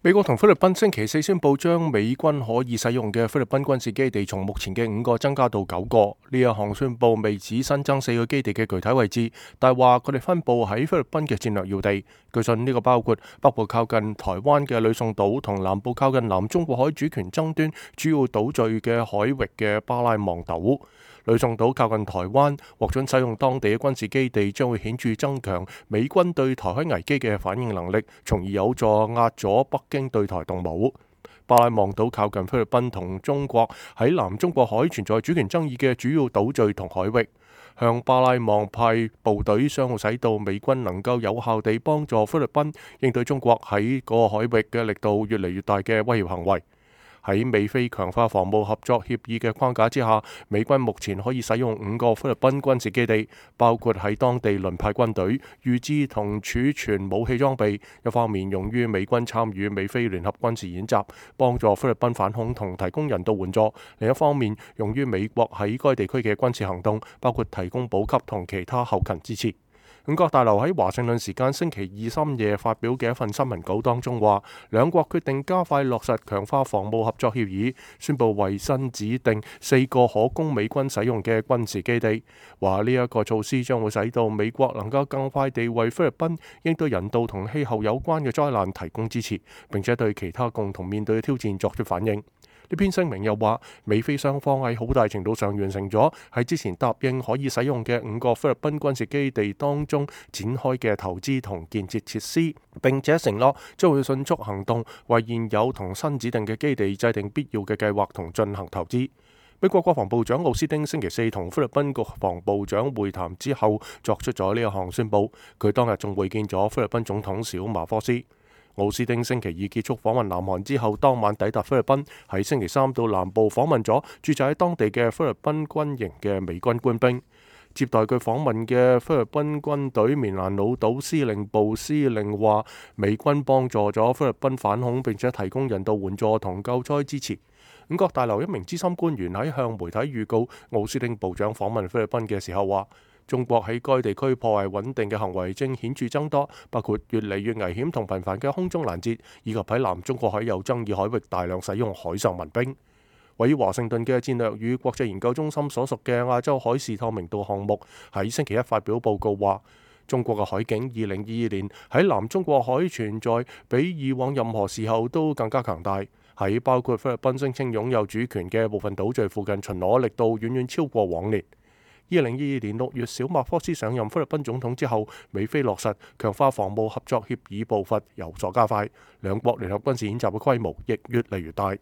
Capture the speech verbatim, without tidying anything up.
美國同菲律賓星期四宣布將美軍可以使用嘅菲律賓軍事基地從目前嘅五個增加到九個。呢一項宣布未指新增四個基地嘅具體位置，但係話佢哋分佈喺菲律賓嘅戰略要地。據信呢個包括北部靠近台灣嘅呂宋島同南部靠近南中國海主權爭端主要島嶼嘅海域嘅巴拉望島。呂宋島靠近台灣，獲准使用當地嘅軍事基地，將會顯著增強美軍對台海危機嘅反應能力，從而有助壓阻北京對台動武。巴拉望島靠近菲律賓同中國喺南中國海存在主權爭議嘅主要島嶼同海域，向巴拉望派部隊，將會使到美軍能夠有效地幫助菲律賓應對中國喺嗰個海域嘅力度越嚟越大嘅威脅行為。喺美菲強化防務合作協議嘅框架之下，美軍目前可以使用五個菲律賓軍事基地，包括喺當地輪派軍隊、預置同儲存武器裝備，一方面用於美軍參與美菲聯合軍事演習，幫助菲律賓反恐同提供人道援助；另一方面用於美國喺該地區嘅軍事行動，包括提供補給同其他後勤支持。五角大樓喺華盛頓時間星期二深夜發表嘅一份新聞稿當中話，兩國決定加快落實強化防務合作協議，宣布為新指定四個可供美軍使用嘅軍事基地。話呢一個措施將會使到美國能夠更快地為菲律賓應對人道同氣候有關嘅災難提供支持，並且對其他共同面對嘅挑戰作出反應。呢篇聲明又話，美菲雙方喺好大程度上完成咗喺之前答應可以使用嘅五個菲律賓軍事基地當中展開嘅投資同建設設施，並且承諾將會迅速行動，為現有同新指定嘅基地制定必要嘅計劃同進行投資。美國國防部長奧斯汀星期四同菲律賓國防部長會談之後，作出咗呢一項宣佈。佢當日仲會見咗菲律賓總統小馬科斯。奧斯汀星期二結束訪問南韓之後，當晚抵達菲律賓，喺星期三到南部訪問咗駐紮喺當地嘅菲律賓軍營嘅美軍官兵。接待佢訪問嘅菲律賓軍隊棉蘭老島司令部司令話，美軍幫助咗菲律賓反恐，並且提供人道援助同救災支持。五角大樓一名資深官員喺向媒體預告奧斯汀部長訪問菲律賓嘅時候話，中國喺該地區破壞穩定嘅行為正顯著增多，包括越嚟越危險同頻繁嘅空中攔截，以及喺南中國海有爭議海域大量使用海上民兵。位於華盛頓嘅戰略與國際研究中心所屬嘅亞洲海事透明度項目喺星期一發表報告話，中國嘅海警二零二二年喺南中國海存在比以往任何時候都更加強大，喺包括菲律賓聲稱擁有主權嘅部分島嶼附近巡邏力度遠遠超過往年。二零二二年六月，小馬科斯上任菲律賓總統之後，美菲落實強化防務合作協議步伐有所加快，兩國聯合軍事演習嘅規模亦越嚟越大。